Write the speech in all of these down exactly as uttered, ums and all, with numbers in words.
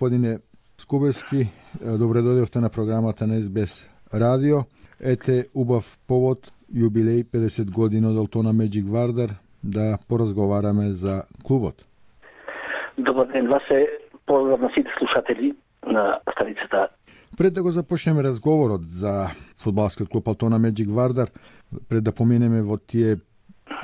Господине Скубевски, добре дојдовте на програмата на Ес Би Ес Радио. Ете убав повод, јубилеј педесет години од Алтона Меджик Вардар, да поразговараме за клубот. Добар ден, вас е поздрав на сите слушатели на станицата. Пред да го започнеме разговорот за фудбалскиот клуб Алтона Меджик Вардар, пред да поминеме во тие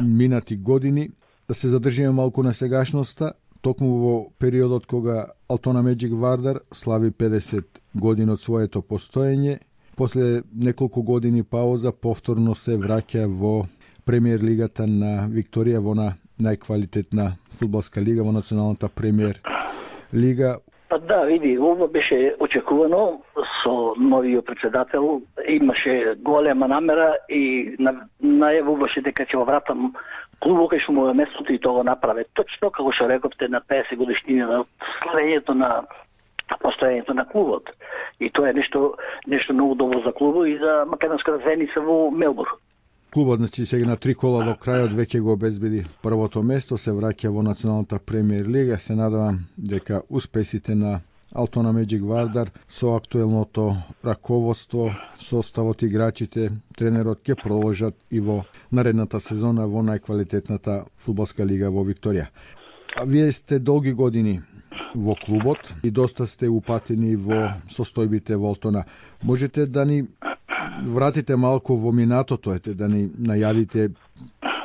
минати години, да се задржиме малку на сегашноста, токму во периодот кога Алтона Меджик Вардар слави педесет години од своето постоење, после неколку години пауза повторно се враќа во премиер лигата на Викторија, во на најквалитетна фудбалска лига, во националната премиер лига. Па да, види, ова беше очекувано со новиот председател. Имаше голема намера и најавуваше дека ќе го вратам клубот кај што му е местото и тоа го направи. Точно како што рековте на педесет годишнина на славењето на постоењето на клубот. И тоа е нешто нешто многу добро за клубот и за македонската заедница во Мелбурн. Клубот, значи, сега на три кола до крајот веќе го обезбеди првото место, се враќа во националната премиер лига. Се надевам дека успесите на Алтона Меджик Вардар со актуелното раководство, составот, играчите, тренерот ќе продолжат и во наредната сезона во најквалитетната фудбалска лига во Викторија. А вие сте долги години во клубот и доста сте упатени во состојбите во Алтона. Можете да ни вратите малку во минатото, ете, да ни најавите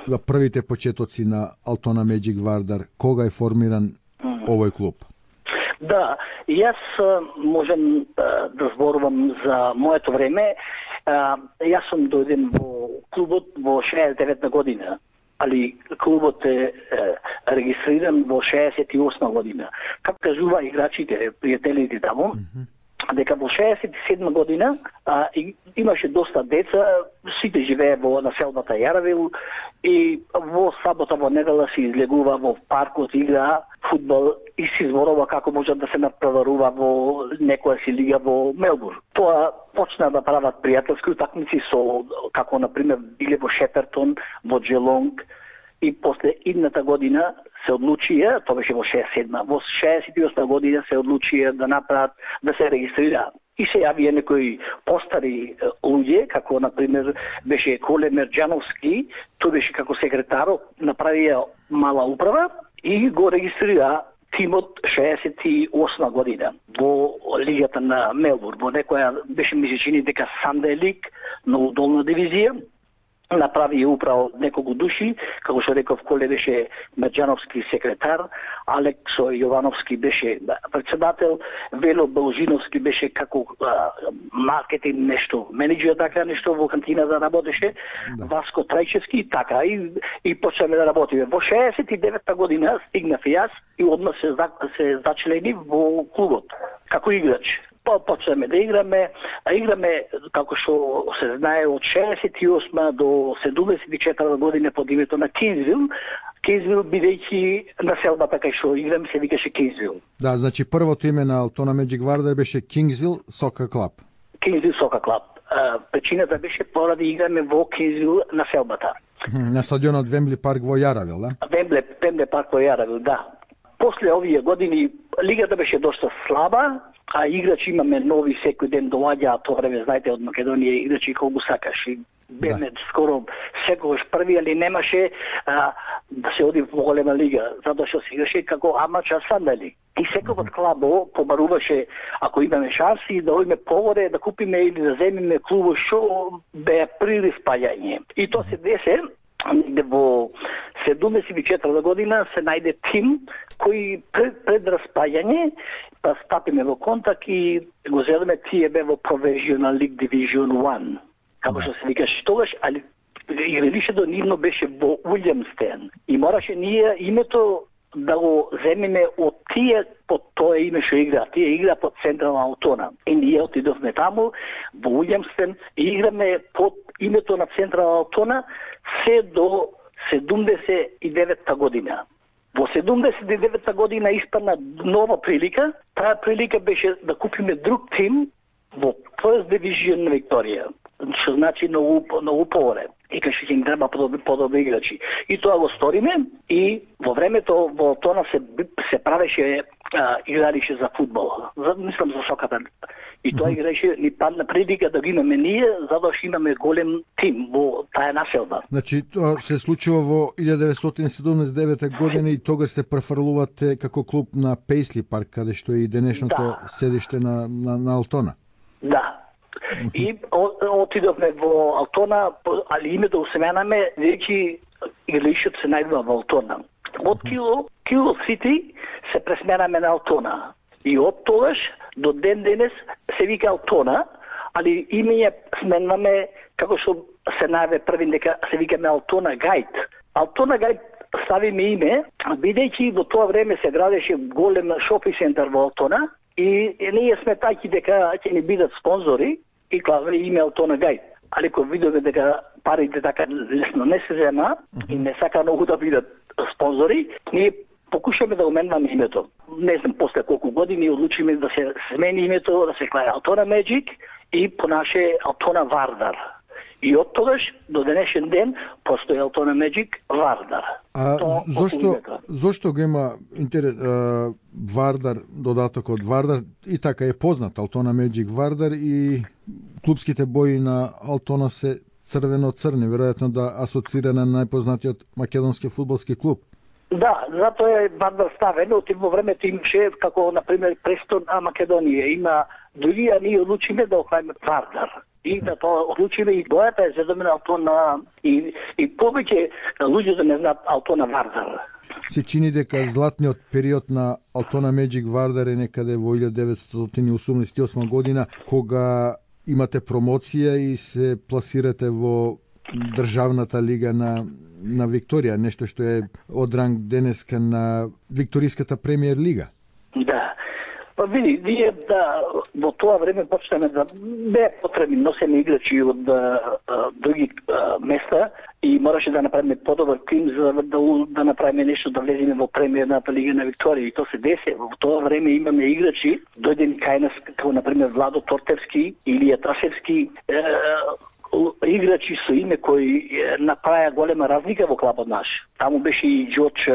за првите почетоци на Алтона Меджик Вардар, кога е формиран овој клуб? Да, јас можам да зборувам за моето време. Јас сум дојден во клубот во шеесет и девета година, али клубот е регистриран во шеесет и осма година. Како кажува играчите, пријателите таму, дека во шеесет и седма година а, и, имаше доста деца, сите живее во населбата Јаравил и во сабота, во недела се излегува во паркот, игра фудбал и се зборува како може да се напреварува во некоја си лига во Мелбурн. Тоа почна да прават пријателски утакмици со, како например биле во Шепертон, во Джелонг, и после идната година се одлучија, тоа беше во шеесет и седма, во шеесет и осма година се одлучија да направат, да се регистрираат. И се јавија некои постари луѓе, како например беше Коле Мерџановски, тој беше како секретар, направија мала управа и го регистрира тимот шеесет и осма година во лигата на Мелбурн, во некоја беше ми се чини дека Sunday League, многу долна дивизија. Направи управо неколку души, како што реков, Коле беше Мерџановски секретар, Алексо Јовановски беше председател, Вело Бължиновски беше како а, маркетинг нешто, менеджер така нешто во кантината работеше, да. Васко Трајчевски така и и почнеме да работиме. Во шеесет и девета година стигнав јас и одма се се зачлени во клубот како играч. Па почнеме да играме, а играме, како што се знае, од шеесет и осма до седумдесет и четврта година под името на Кинзвил. Кинзвил бидејќи населбата кај што играме се викаше Кинзвил. Да, значи првото име на Алтона Меджик Вардар беше Кинзвил Сокер Клаб. Кинзвил Сокер Клаб. Причината беше поради играме во Кинзвил населбата. На стадионот Вембли парк во Јаравил, да? Вембли, Вембли парк во Јаравил, да. После овие години лигата беше доста слаба, а играчи имаме нови секој ден доаѓаат, тоа време знаете од Македонија играчи колку сакаш и беме да. Скоро секогаш први, али немаше а, да се оди во голема лига, затоа што се играше како амачар сандали. И секој клабо побаруваше, ако имаме шанси да одиме погоре, да купиме или да земиме клубот што беа при спаѓање. И тоа се десе во седумдесет и четврта година се најде тим кој пред, пред распаѓање па стапиме во контакт и го зедеме тие бе во Professional League Division еден. Како што се викаше тогаш, али игралишето нивно беше во Уилјамстен. И мораше ние името да го земиме од тие под тоа име што игра. Тие игра под Централна Алтона. И ние отидовме таму во Уилјамстен и играме под името на Централна Алтона се до седумдесет и девета година. Во седумдесет и девета година испадна нова прилика. Таа прилика беше да купиме друг тим во First Division на Викторија. Што значи многу многу поволе. И кај што ќе им треба подобри, подобри играчи. И тоа го сториме и во времето во Тона се се правеше а, играеше за фудбал. За, мислам за соката. И тоа играеше ни падна предика да го имаме ние, затоа што имаме голем тим во таа населба. Значи тоа се случува во илјада деветстотини седумдесет и девета година и тогаш се префрлувате како клуб на Пейсли парк, каде што е и денешното да. седиште на, на, на Алтона. Да. И отидовме во Алтона, али името усеменаме, веќе игралишот се најдува во Алтона. Од Кило, Кило Сити се пресменаме на Алтона. И од тогаш до ден денес се вика Алтона, али имење сменваме, како што се најаве први дека се викаме Алтона Гајд. Алтона Гајд ставиме име, бидејќи во тоа време се градеше голем шопинг центар во Алтона и ние сметајќи дека ќе ни бидат спонзори и клаве име Алтона Гајд. Али кога видовме дека парите така лесно не се зема и не сака многу да бидат спонзори, ние покушаме да уменваме името. Не знам после колку години одлучиме да се смени името, да се клае Алтона Меджик и понаше Алтона Вардар. И од тогаш до денешен ден постои Алтона Меджик Вардар. А Тоа, зошто зошто го има интерес а, Вардар, додатокот Вардар и така е познат Алтона Меджик Вардар и клубските бои на Алтона се црвено-црни, веројатно да асоцира на најпознатиот македонски фудбалски клуб. Да, затоа е Вардар ставено, во времето имаше како на пример престон на Македонија, има други, а ние одлучиме да оклајме Вардар. И да тоа одлучиме и бојата е зедоме на Алтона и, и повеќе луѓе да не знаат Алтона Вардар. Се чини дека златниот период на Алтона Меджик Вардар е некаде во илјада деветстотини осумдесет и осма година, кога имате промоција и се пласирате во државната лига на на Викторија, нешто што е од ранг денеска на Викториската премиер лига. Да. Па види, ние да во тоа време почнеме да бе потребни носени играчи од а, а, други а, места и мораше да направиме подобар тим за да, да направиме нешто да влеземе во премиерната лига на Викторија и тоа се десе. Во тоа време имаме играчи, дојдени кај нас како на пример Владо Тортевски, Илија Ташевски, е, играчи со име кои направија голема разлика во клубот наш. Таму беше и Џорџ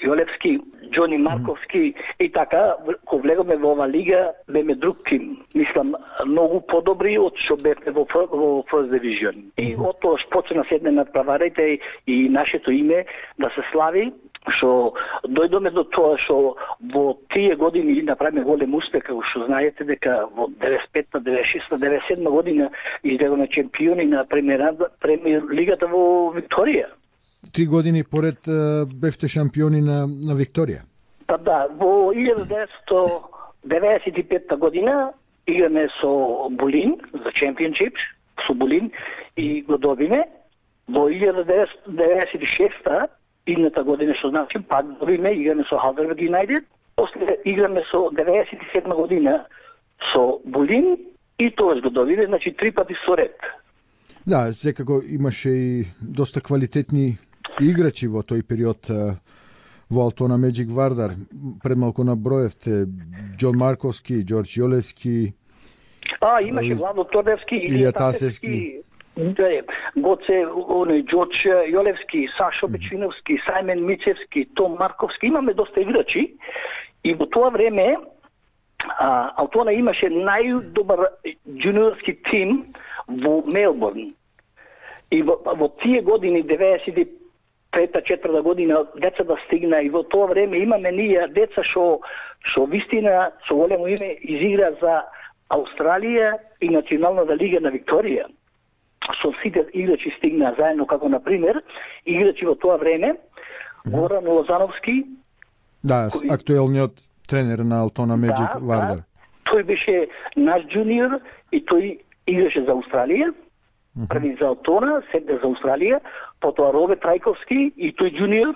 Јолевски, Џони Марковски и така, кога влегоме во ова лига, беме друг тим. Мислам, многу подобри од што бевме во, во First Division. И од тоа почна седне над праварите и нашето име да се слави, што дојдоме до тоа што во тие години направиме голем успех, како што знаете дека во деветдесет и петта, деветдесет и шеста, деветдесет и седма година излегоме чемпиони на премиер, премиер лигата во Викторија. Три години поред бевте шампиони на, на Викторија. Па да, во илјада деветстотини деветдесет и петта година играме со Булин за чемпионшип, со Булин и го добиме. Во илјада деветдесет и шеста идната година, што значи, пак добиме, играме со Халдерберг Юнајтед. После играме со деветдесет и седма година со Булин и тоа го добиме, значи три пати со ред. Да, секако имаше и доста квалитетни играчи во тој период во Алтона Меджик Вардар. Пред малку наброевте Џон Марковски, Џорџ Јолевски. А, имаше Владо Тордевски, Илија Тасевски. Гоце, оној Џорџ Јолевски, Сашо Бечиновски, Сајмен Мицевски, Том Марковски, имаме доста играчи и во тоа време а, Алтона имаше најдобар джуниорски тим во Мелбурн. И во, во тие години, деветдесет и трета четврта година, деца да стигна и во тоа време имаме ние деца што што вистина со големо име изигра за Австралија и Националната лига на Викторија. Со сите играчи стигна заедно, како на пример играчи во тоа време Горан Лозановски. Да, кој... актуелниот тренер на Алтона Меджик да, Вардар. Да, тој беше наш джуниор и тој играше за Австралија. Uh-huh. Први за Алтона, седне за Австралија, потоа Роберт Трајковски и тој джуниор.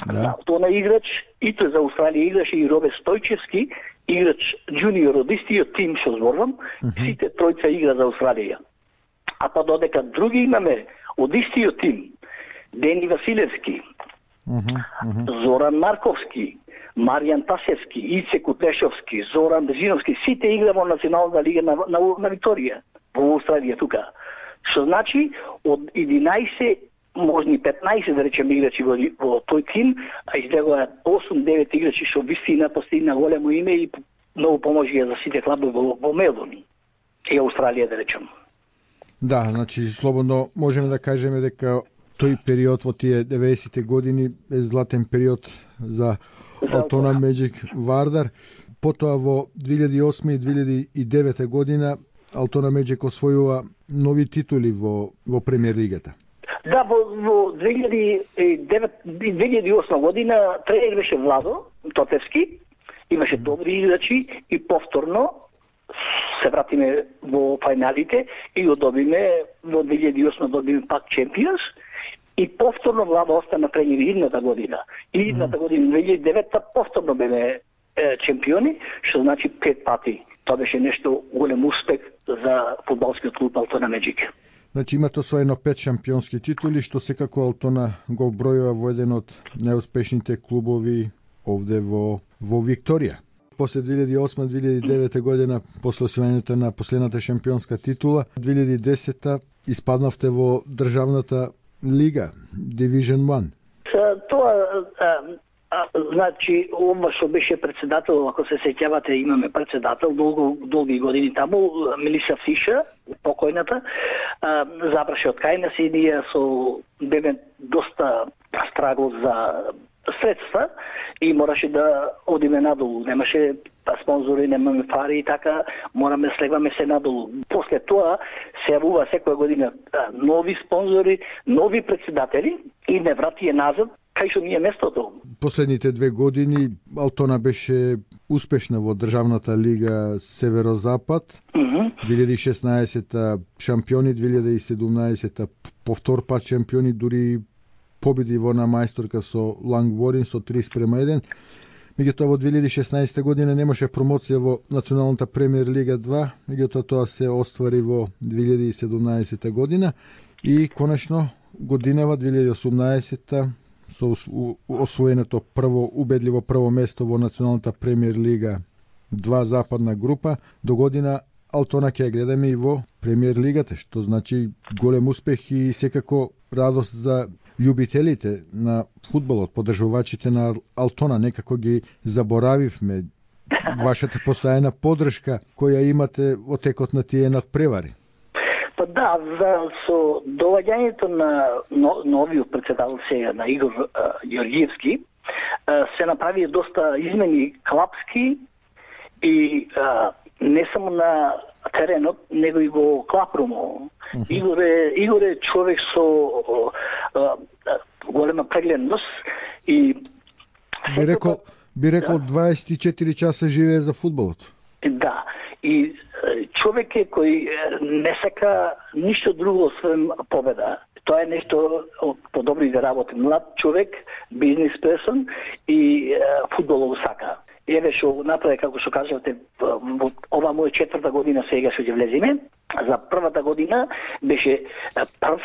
Да. Алтона играч и тој за Австралија играше и Роберт Стојчевски, играч джуниор од истиот тим што зборувам, uh-huh. Сите тројца игра за Австралија. А па додека други имаме од истиот тим, Дени Василевски, uh-huh. Uh-huh. Зоран Марковски, Маријан Тасевски, Ице Кутешовски, Зоран Бежиновски, сите игра во Националната лига на, на, на Викторија, во Австралија тука. Што значи, од единаесет можни петнаесет да речеме играчи во, во тој тим, а излегоа осум девет играчи што вистина постигна големо име и многу поможија за сите клубови во, во Мелбурн и Австралија, да речем. Да, значи слободно можеме да кажеме дека тој период во тие деветдесетте години е златен период за Алтона Меджик Вардар. Потоа во две илјади и осма и две илјади и девета година Алтона Меджик освојува нови титули во во премиер лигата. Да, во, во две илјади и девета две илјади и осма година тренер беше Владо Тотевски, имаше добри играчи и повторно се вратиме во финалите и го добиме во две илјади и осма добиме пак Чемпионс и повторно Владо остана тренер идната година. И идната година две илјади и девета повторно беме е, чемпиони, што значи пет пати. Тоа беше нешто голем успех за фудбалскиот клуб Алтона Меджик. Значи имате освоено пет шампионски титули, што секако Алтона го бројува во еден од најуспешните клубови овде во во Викторија. После две илјади и осма две илјади и девета година, после освојањето на последната шампионска титула, две илјади и десета испаднавте во државната лига, Division еден. Тоа А, значи, ова што беше председател, ако се сеќавате, имаме председател долго, долги години таму, Мелиса Фиша, покојната, а, запраше од кај нас и ние со беме доста страгл за средства и мораше да одиме надолу. Немаше спонзори, немаме пари и така, мораме слегваме се надолу. После тоа се јавува секоја година нови спонзори, нови председатели и не врати назад кај што ни е местото. Последните две години Алтона беше успешна во државната лига Северозапад. Mm-hmm. две илјади и шеснаесета шампиони, две илјади и седумнаесета повтор пат шампиони, дури победи во на мајсторка со Лангворин со три спрема еден. Меѓутоа во две илјади и шеснаесета година немаше промоција во Националната премиер лига два, меѓутоа тоа се оствари во две илјади и седумнаесета година и конечно годинава две илјади и осумнаесета со освоеното прво убедливо прво место во Националната премиер лига два западна група, до година Алтона ќе гледаме и во премиер лигата, што значи голем успех и секако радост за љубителите на фудбалот, поддржувачите на Алтона. Некако ги заборавивме вашата постојана поддршка која имате во текот на тие надпревари. Па да, за со доаѓањето на но, новиот председател сега на Игор а, Јоргиевски а, се направи доста измени клапски и а, не само на теренот, него и во клапрумо. Uh-huh. Игор е Игор е човек со а, а, голема прегледност и би рекол би рекол да. дваесет и четири часа живее за фудбалот. Да, и човек е кој не сака ништо друго освен победа. Тоа е нешто подобри да работи. Млад човек, бизнес персон и фудбалот сака. Еве што направи, како што кажавте, ова моја четврта година сега што ќе влеземе. За првата година беше прв,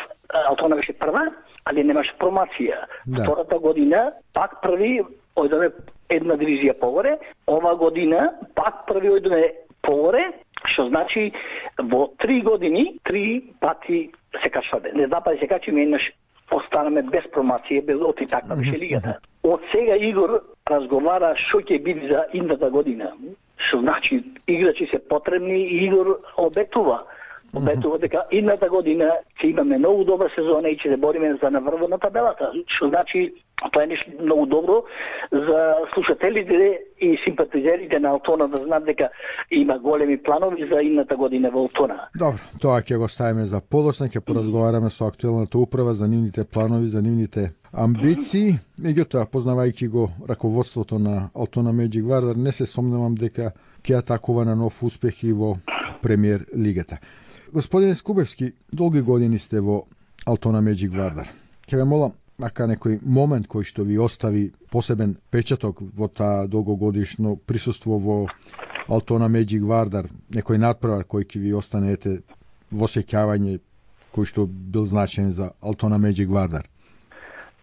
Алтона беше прва, али немаше промоција. Да. Втората година пак први, ојдеме една дивизија погоре. Ова година пак први ојдеме погоре, што значи во три години три пати се качваме. Не два пати се качиме, еднаш останаме без промоција, без оти таква беше лигата. Од сега Игор разговара што ќе биде за идната година. Што значи играчи се потребни и Игор обетува. Обетува дека идната година ќе имаме многу добра сезона и ќе се бориме за наврво на табелата. Што значи тоа е нешто многу добро за слушателите и симпатизерите на Алтона да знаат дека има големи планови за идната година во Алтона. Добро, тоа ќе го ставиме за подоцна, ќе поразговараме со актуелната управа за нивните планови, за нивните амбиции. Меѓутоа, познавајќи го раководството на Алтона Меджик Вардар, не се сомневам дека ќе атакува на нов успех и во премиер лигата. Господин Скубевски, долги години сте во Алтона Меджик Вардар. Ќе ве молам, ака некој момент кој што ви остави посебен печаток во таа долгогодишно присуство во Алтона Меджик Вардар, некој надпревар кој ќе ви останете во сеќавање, кој што бил значаен за Алтона Меджик Вардар?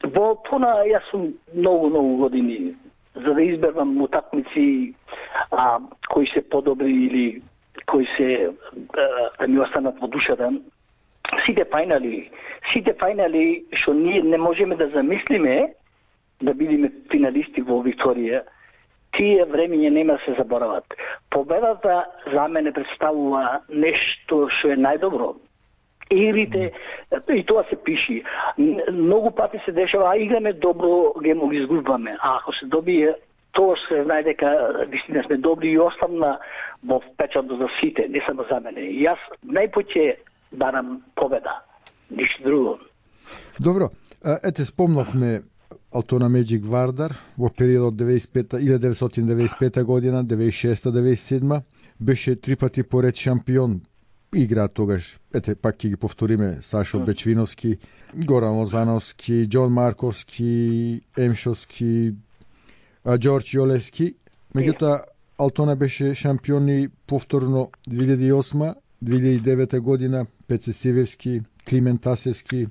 Во Алтона јас сум многу, многу години за да изберам утакмици а, кои се подобри или кои се да ми останат во душата. сите фајнали, сите фајнали што ние не можеме да замислиме да бидеме финалисти во Викторија, тие времиња нема да се заборават. Победата за мене представува нешто што е најдобро. Игрите, и тоа се пиши. Многу пати се дешава, а играме добро, ги го изгубваме. А ако се добие, тоа се знае дека вистина сме добри и оставна во впечатот за сите, не само за мене. И јас најпоќе барам победа, ништо друго. Добро, ете спомнавме Алтона Меджик Вардар во периодот илјадесет деветстотини деветдесет и пета година, деветдесет и шеста деветдесет и седма, беше три пати поред шампион. Игра тогаш, ете пак ќе ги повториме, Сашо mm. Бечвиновски, Горан Лозановски, Џон Марковски, Емшовски, Џорџ Јолевски. Меѓутоа, Алтона беше шампион и повторно две илјади и осма, две илјади и девета година, Пеце Сивевски, Климент Тасевски,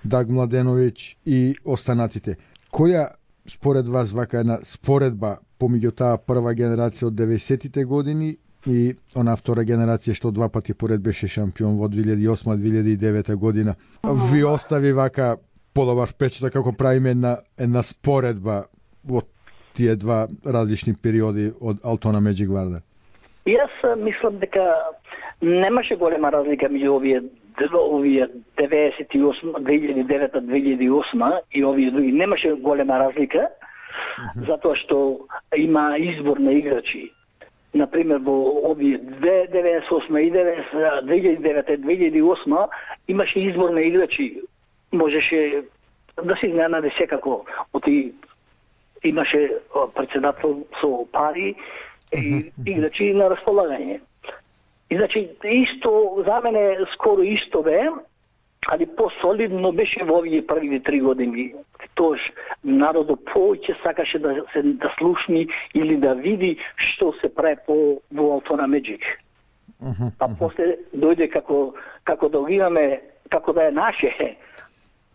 Даг Младеновиќ и останатите. Која според вас вака една споредба помеѓу таа прва генерација од деветдесетите години и она втора генерација што два пати поред беше шампион во две илјади и осма две илјади и девета година, ви остави вака подобар впечаток како правиме една, една споредба во тие два различни периоди од Алтона Меджик Вардар? Јас мислам дека немаше голема разлика меѓу овие овие деветдесет и осма, две илјади и девета, две илјади и осма и овие други. Немаше голема разлика, uh-huh. затоа што има избор на играчи. Например, во овие деветдесет и осма и две илјади и девета и две илјади и осма имаше избор на играчи. Можеше да се изненади секако. Оти имаше председател со пари и играчи на располагање. И значи, исто, за мене скоро исто бе, али по-солидно беше во овие првите три години. Тоаш народот повеќе сакаше да се да слушни или да види што се прави по во Алтона Меджик. Uh-huh, а uh-huh. после дојде како како да го имаме, како да е наше.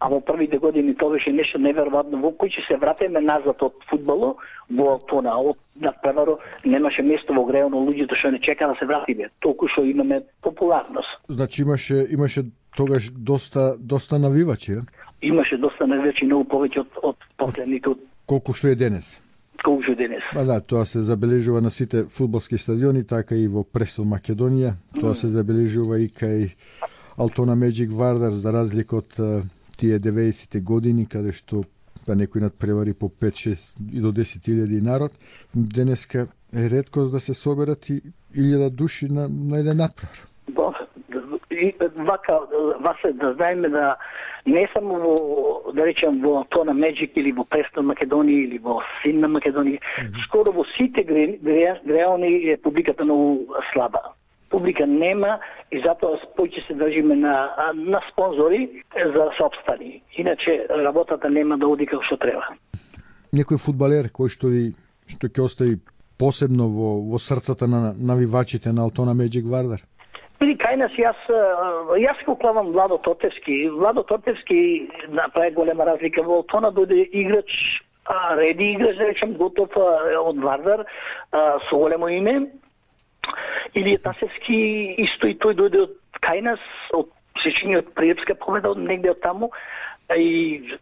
А во првите години тоа беше нешто неверојатно. Во кој ќе се вратиме назад од фудбалот, во Алтона, од надпреваро немаше место во грејано, луѓето што не чека да се вратиме. Толку што имаме популарност. Значи имаше имаше тогаш доста доста навивачи, е? Имаше доста навивачи, многу повеќе од од последните. Колку што е денес? Колку што е денес. Па да, тоа се забележува на сите фудбалски стадиони, така и во Престон Македонија. Тоа mm. се забележува и кај Алтона Меджик Вардар, за разлика од тие деветдесетте години, каде што па некој надпревари по пет шест и до десет илјади народ. Денеска е ретко да се соберат и илјада души на, на еден надпревар. И вака, васе да знаеме да не само во, да речем, во Алтона Меджик или во Престон Македонија или во Синна Македонија, mm-hmm. скоро во сите грејони е публиката многу слаба. Публика нема и затоа повеќе се држиме на, на спонзори за да се обстани. Иначе работата нема да оди како што треба. Некој фудбалер кој што ви што ќе остави посебно во во срцата на навивачите на Алтона Меджик Вардар? Или кај нас јас јас го клавам Владо Тотевски. Владо Тотевски направи голема разлика во Алтона, дојде играч, а, реди играч, да речем, готов од Вардар, а, со големо име. Или Тасевски исто и тој дојде од кај нас, од сечиња од Приепска победа, од негде од таму. И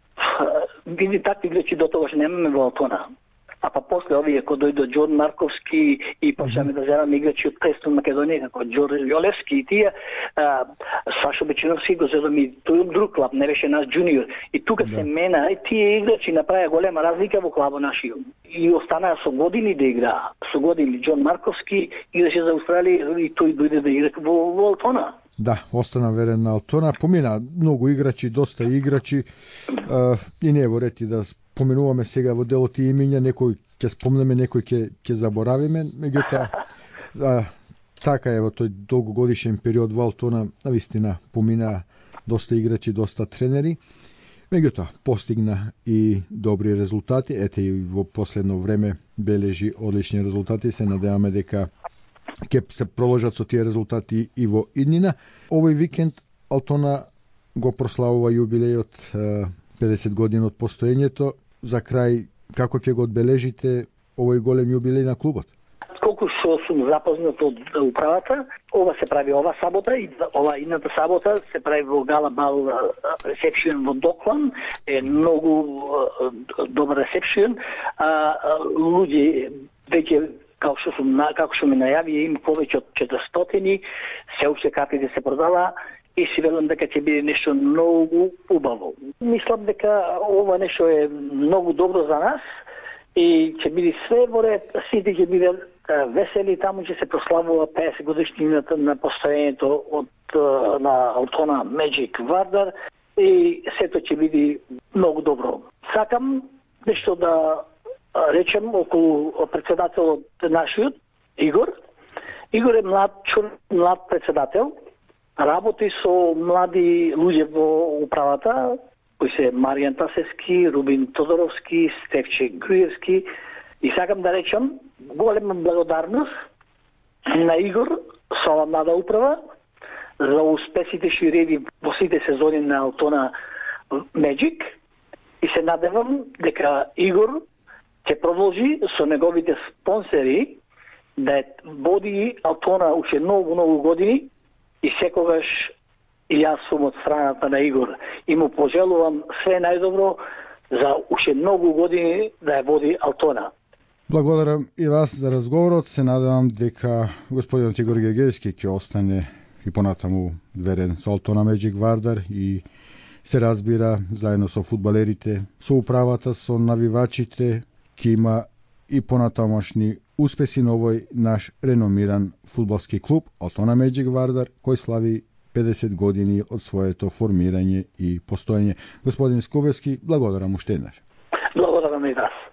види такви играчи до тогаш немаме во Алтона. А па после овие кои дојдо Џон Марковски и почнеме да земаме играчи од Престон Македонија, како Џорџ Јолевски и тие, а, Сашо Бечвиновски го зедоми тој друг клуб, не беше наш джуниор. И тука да. се мена и тие играчи направија голема разлика во клубот нашиот. И останаа со години да играа. Со години Џон Марковски играше за Австралија и тој дојде да игра во, во Алтона. Да, остана верен на Алтона. Помина многу играчи, доста играчи. А, и не е во ред и да споменуваме сега во делот и имиња, некој ќе спомнеме, некој ќе ќе заборавиме, меѓутоа така е во тој долгогодишен период во Алтона, навистина помина доста играчи, доста тренери. Меѓутоа постигна и добри резултати, ете и во последно време бележи одлични резултати, се надеваме дека ќе се проложат со тие резултати и во иднина. Овој викенд Алтона го прославува јубилејот педесет години од постоењето. За крај, како ќе го одбележите овој голем јубилеј на клубот? колку што сум запознат од управата, ова се прави ова сабота и ова идната сабота се прави во Гала Бал ресепшн во Доклан, е многу добар ресепшн. Луѓе веќе како што сум како што ми најави им повеќе од четиристотини, се уште картите се продава и си велам дека ќе биде нешто многу убаво. Мислам дека ова нешто е многу добро за нас и ќе биде све во ред, сите ќе биде весели, таму ќе се прославува педесет годишнината на постоењето од на Алтона Magic Вардар и сето ќе биде многу добро. Сакам нешто да речем околу председателот нашиот Игор. Игор е млад човек, млад председател. Работи со млади луѓе во управата, кои се Маријан Тасевски, Рубин Тодоровски, Стефче Груевски. И сакам да речам голема благодарност на Игор со ова млада управа за успесите што реди во сите сезони на Алтона Magic и се надевам дека Игор ќе продолжи со неговите спонсори да води Алтона уште многу, многу години и секогаш и јас сум од страната на Игор и му пожелувам све најдобро за уште многу години да ја води Алтона. Благодарам и вас за разговорот. Се надевам дека господинот Игор Гергевски ќе остане и понатаму верен со Алтона Magic Вардар и се разбира заедно со фудбалерите, со управата, со навивачите, ќе има и понатамошни успеси на овој наш реномиран фудбалски клуб Алтона Magic Вардар, кој слави педесет години од своето формирање и постоење. Господин Скубевски, благодарам уште еднаш. Благодарам и вас.